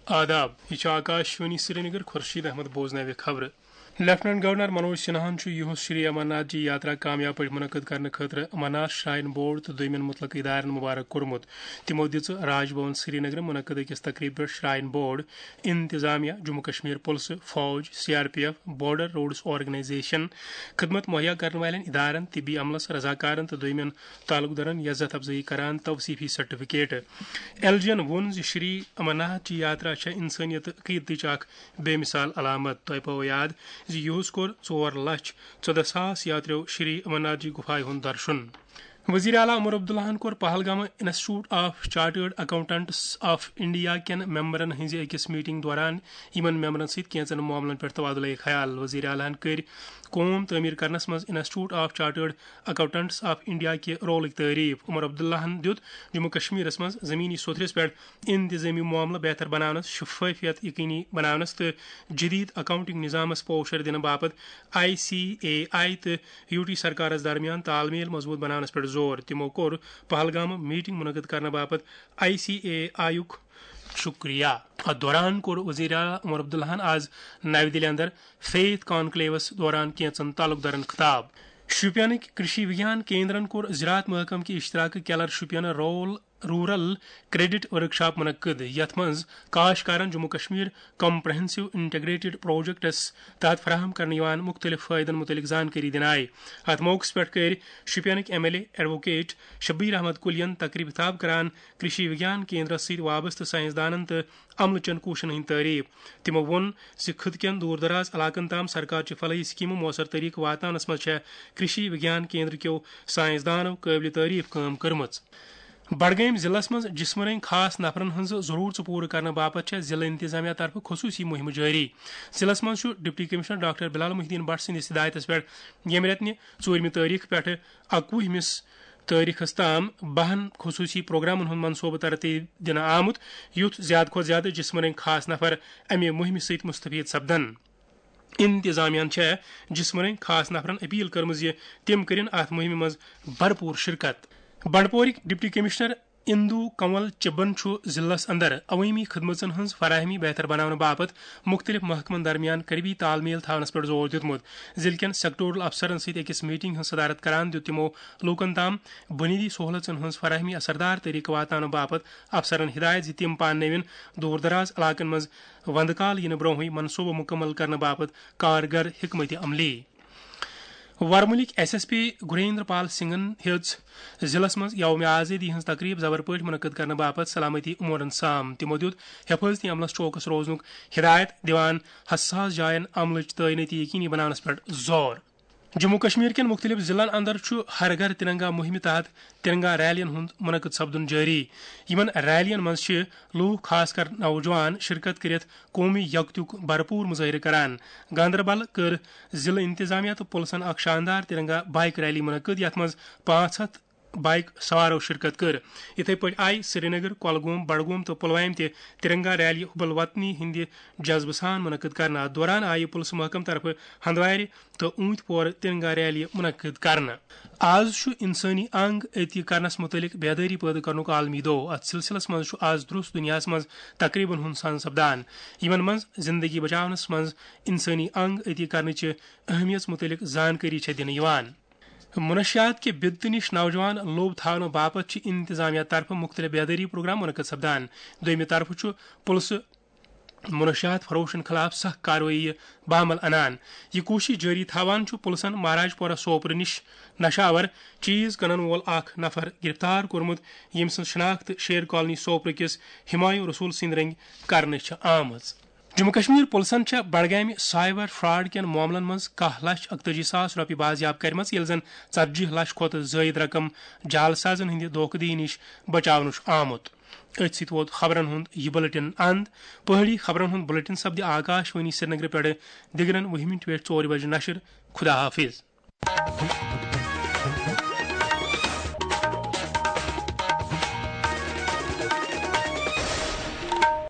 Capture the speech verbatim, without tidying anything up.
آداب، یہِ چھُ آکاش وانی سرینگر۔ خورشید احمد بوزناوِ خبرٕ۔ لیفٹیننٹ گورنر منوج سنہاہن چھُ یُہُس شری امرناتھ جی یاترا کامیاب پٲٹھۍ منعقد کرنہٕ خٲطرٕ امرناتھ شراین بورڈ تہٕ دوٚیمٮ۪ن مُتعلقہٕ ادارن مبارک کوٚرمُت۔ تِمو دِژ راج بھون سرینگرٕ منعقد أکِس تقریبہِ پٮ۪ٹھ شراین بورڈ، انتظامیہ، جموں کشمیر پُلسہٕ، فوج، C R P F, border roads organisation, خدمت مہیا کرن والٮ۪ن ادارن، طبی عملس، رضاکارن تہٕ دوٚیمٮ۪ن تعلق دارن عزت افزٲیی کران توصیفی سرٹیفکیٹ۔ ایل جی ین ووٚن زِ شری امرناتھ جی یاترا چھےٚ انسٲنیت تہٕ عقیدتٕچ اکھ بے مثال علامت۔ تۄہہِ پاوو یاد زِ یُہُس کوٚر ژور لچھ ژۄدہ ساس یاتریو شری امرناتھ جی گُفایہِ ہُنٛد درشُن۔ وزیر اعلیٰ عمر عبداللہن کوٚر پہلگامہٕ institute of chartered accountants of India کٮ۪ن ممبرن ہٕنٛزِ أکِس میٹنگ دوران یِمن ممبرن سۭتۍ کینٛژن معاملن پٮ۪ٹھ تبادلہ خیال۔ وزیر اعلیٰ ہن کٔرۍ قوم تعمیر کرنس منٛز institute of chartered accountants of India کہِ رولٕکۍ تعریف۔ عمر عبداللہن دیُت جموں کشمیرس منٛز زمینی سوٚتھرِس پٮ۪ٹھ انتظامی معاملہٕ بہتر بناونس، شفافیت یقینی بناونس تہٕ جدید اکاؤنٹنگ نظامس پوشر دِنہٕ باپتھ آئی سی اے آئی تہٕ یو ٹی سرکارس درمیان تال میل مضبوط بناونس پٮ۪ٹھ زور۔ تِمو کوٚر پہلگامہٕ میٹنگ منعقد کرنہٕ باپتھ آئی سی اے آئی یُک شکریہ۔ اتھ دوران کوٚر وزیر اعلیٰ عمر عبداللہن آز نَوِ دِلہِ اندر فیتھ کانکلیوس دوران کینژن تعلق دارن خطاب۔ شوپینٕکۍ کرشی وگیان کیندرن کوٚر زراعت محکمہٕ کہِ اشتراکہٕ Keller Shopian rule rural credit workshop منعقد، یتھ منٛز کاشتکارن Jammu Kashmir comprehensive integrated projects تحت فراہم کرنہٕ یِوان مُختٔلِف فٲیدن مُتعلق زانکٲری دِنہٕ آیہِ۔ اتھ موقعس پٮ۪ٹھ کٔرۍ شوپینٕکۍ M L A advocate Shabir Ahmad کُلین تقریب خطاب کران کرشی وگیان کیندرس سۭتۍ وابستہٕ سائنسدانن تہٕ عملہٕ چٮ۪ن کوٗششن ہٕنٛدۍ تعریف۔ تِمو ووٚن زِ خطہٕ کٮ۪ن دوٗر دراز علاقن تام سرکار چہِ فلاحی سکیمہٕ مؤثر طریقہٕ واتناونس منٛز چھےٚ کرشی وگیان کیندر کیو سائنسدانو قٲبلِ تعریف کٲم کٔرمٕژ۔ بڈگٲمۍ ضلعس منٛز جسمٲنی خاص نفرن ہٕنٛز ضروٗرژٕ پوٗرٕ کرنہٕ باپتھ چھےٚ ضلعہٕ انتظامیہ طرفہٕ خصوٗصی مُہِم جٲری۔ ضلعس منٛز چھُ ڈپٹی کمشنر ڈاکٹر بلال محی الدین بٹ سٕنٛدِس ہدایتس پٮ۪ٹھ ییٚمہِ رٮ۪تہٕ نہِ ژوٗرمہِ تٲریخ پٮ۪ٹھٕ اَکوُہمِس تٲریخس تام بَہَن خصوٗصی پروگرامن ہُنٛد منصوبہٕ ترتیب دِنہٕ آمُت، یُتھ زیادٕ کھۄتہٕ زیادٕ جسمٲنی خاص نفر امہِ مُہِمہِ سۭتۍ مستفید سپدن۔ انتظامیہ ہن چھےٚ جسمٲنی خاص نفرن اپیل کٔرمٕژ زِ تِم کٔرِن اتھ مُہِمہِ منٛز بھرپور شرکت۔ بنڈپورٕکۍ ڈپٹی کمشنر اندو کنول چبن چھُ ضلعس اندر عوٲمی خدمژن ہٕنٛز فراہمی بہتر بناونہٕ باپتھ مُختٔلِف محکمن درمیان قریبی تال میل تھاونس پٮ۪ٹھ زور دیُتمُت۔ ضلعہٕ کٮ۪ن سیکٹورل افسرن سۭتۍ أکِس میٹنگ ہٕنٛز صدارت کران دیُت تِمو لوٗکن تام بُنیٲدی سہولژن ہٕنٛز فراہمی اثردار طریقہٕ واتناونہٕ باپتھ افسرن ہدایت زِ تِم پاننٲوِن دوٗر دراز علاقن منٛز وندٕ کال یِنہٕ برونٛہٕے منصوبہٕ مُکمل کرنہٕ باپتھ کارگر حکمت عملی۔ ورمُلٕکۍ ایس ایس پی گریندر پال سنگھن ہیٚژ ضلعس منٛز یوم آزٲدی ہٕنٛز تقریب زبر پٲٹھۍ منعقد کرنہٕ باپتھ سلامتی امورن سام۔ تِمو دیُت حفاظتی عملس چوکس روزنُک ہدایت دِوان حساس جاین عملٕچ تعینٲتی یقینی بناونس پٮ۪ٹھ زور۔ جموں کشمیر کٮ۪ن مُختٔلِف ضلعن اندر چھُ ہر گھر ترنگا مُہِمہِ تحت ترنگا ریلین ہُنٛد منعقد سپدُن جٲری۔ یِمن ریلین منٛز چھِ لوٗکھ، خاص کر نوجوان، شرکت کٔرِتھ قومی یکتیُک بھرپور مظٲہرٕ کران۔ گاندربل کٔر ضلعہٕ انتظامیہ تہٕ پُلسن اکھ شاندار ترنگا بائیک ریلی منعقد، یتھ منٛز پانٛژھ ہتھ بائیک سوارو شرکت کٔر۔ یِتھے پٲٹھۍ آیہِ سرینگر، کۄلگوم، بڈگوم تہٕ پلوامہِ تہِ ترنگا ریلی حب الوطنی ہٕنٛدِ جذبہٕ سان منعقد کرنہٕ۔ اتھ دوران آیہِ پُلسہٕ محکمہٕ طرفہٕ ہندوارِ تہٕ اوٗنتۍ پورٕ ترنگا ریلی منعقد کرنہٕ۔ آز چھُ انسٲنی انگ عطیہ کرنس متعلق بیدٲری پٲدٕ کرنُک عالمی دۄہ۔ اتھ سلسلس منٛز چھُ آز درست دنیاہس منٛز تقریبن ہُنٛد سان سپدان، یِمن منٛز زندگی بچاونس منٛز انسٲنی انگ عطیہ کرنٕچہِ اہمیت متعلق زانکٲری چھےٚ دِنہٕ یِوان۔ منشیات کہِ بدتہٕ نِش نوجوان لوٚب تھاونہٕ باپتھ چھِ انتظامیہ طرفہٕ مُختٔلِف بیدٲری پروگرام منعقد سپدان۔ دوٚیمہِ طرفہٕ چھُ پُلسہٕ منشیات فروشن خلاف سخت کاروٲیی بعمل انان۔ یہِ کوٗشش جٲری تھاوان چھُ پُلسن مہاراج پورہ سوپرٕ نِش نشہٕ آور چیز کٕنن وول اکھ نفر گرفتار کوٚرمُت، ییٚمۍ سٕنٛز شناخت شیر کالونی سوپرٕ کِس ہمایوں رسول سٕنٛدۍ رٔنگۍ کرنہٕ چھِ آمٕژ۔ جموں کشمیر پُلسن چھےٚ بڈگامہِ سائبر فراڈ کٮ۪ن معاملن منٛز کاہ لچھ اکتٲجی ساس رۄپیہِ بازیاب کرِمژ، ییٚلہِ زن ژتجی لچھ کھۄتہٕ زٲیِد رقم جعل سازن ہٕنٛدِ دھوکہٕ دٔہی نِش بچاونہٕ چھُ آمُت۔ أتھۍ سۭتۍ ووت خبرن ہُنٛد یہِ بلیٹن اند۔ پہٲڑی خبرن ہُنٛد بلیٹن سپدِ آکاش وانی سرینگرٕ پٮ۪ٹھٕ دِگرن وُہہِ مِنٹہِ پٮ۪ٹھ ژورِ بجہِ نشر۔ خدا حافظ۔